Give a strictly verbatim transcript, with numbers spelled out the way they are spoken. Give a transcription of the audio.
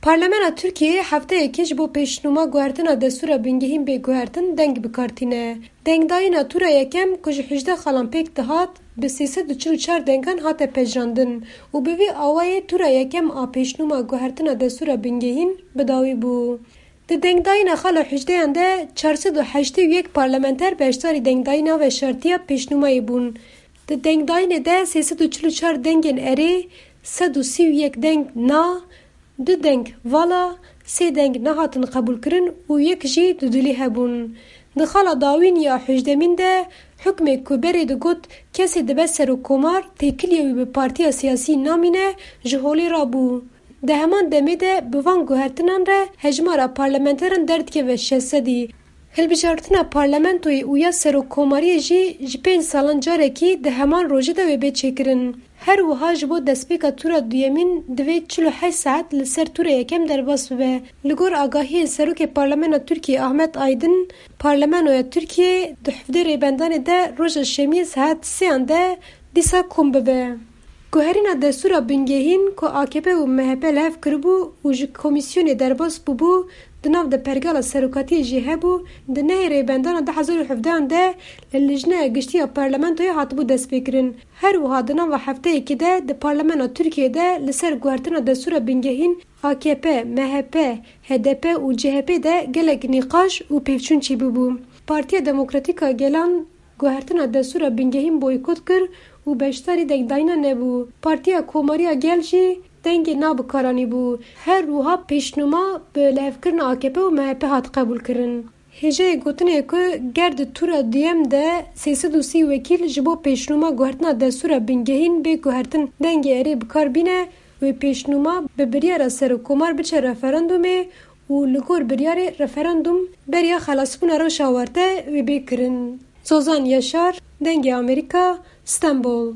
Parlamena Tirkiyeyê hefteyekê ji bo pêşnûma guhertina destûra bingehîn bê guhertin deng bi kar tîne. Dengdayîna tûra yekem ku ji hejdeh xalan pêk dihat, bi sê sed û çil û çar dengan hate pejirandin û bi vî awayê tûra yekem a pêşnûma guhertina destûra bingehîn bi dawî bû. Di dengdayîna xala hejdeyan de çar sed û heştê û yek parlamenter beşdarî dengdayîna veşartiya pêşnûmayê bûn. Di dengdayînê de sê sed û çil û çar dengên erê, sed û sî û yek deng na, du deng vala, sê deng nehatin qebûlkirin û yek jî dudilî hebûn. Di xala dawîn ya hejdemîn de hukmê ku berê digot kesê dibe serokkomar, têkiliya wî bi partiya siyasî namîne, ji holê rabû. Di heman demê de bi van guhertinan re hejmara parlamenteran derdikeve şeş sedî. Hilbijartina parlamentoyê û ya serokkomariyê jî ji pênc salan carekî di heman rojê de wê bê çêkirin. Her wiha ji bo destpêka tûra duyemîn divê çil û heşt saet li ser tûra yekem derbas bibe. Li gor agahiyên Serokê Parlamena Tirkiyê Ahmet Aydin, Parlamenoya Tirkiyê di hevdê rêbendanê de roja şemiyê saet sêyan de dîsa kom bibe. Guherîna destûra bingehîn ku A K P û M H P li hev kiribû û ji komîsyonê derbas bûbû, di nav de pergala serokatiyê jî hebû, di nehê rêbendana du hezar û hevdehan de li Lijneya Giştî ya Parlamentoyê hatibû destpêkirin. Her wiha di nava hefteyekê de di Parlamena Tirkiyeyê de li ser guhertina destûra bingehîn A K P, M H P, H D P û C H P de gelek nîqaş û pêvçûn çêbûbû. Partiya Demokratîk a Gelan guhertina destûra bingehîn boykot kir û beşdarî dengdayîna nebû. Partiya Komariya Gel jî dengê na bi kar anîbû. Her wiha pêşnûma bi lihevkirina A K P û M H P hat qebûlkirin. Hêjayê gotinê ye ku ger di tûra duyem de sê sed û sî wekîl ji bo pêşnûma guhertina destûra bingehîn bê guhertin dengê erê bi kar bîne, wê pêşnûma bi biryara serokkomar biçe referandumê û li gor biryarê referandum beriya xelasbûna rewşa awarte wê bê kirin. Zozan Yaşar, Dengê Amerîka, Stenbol.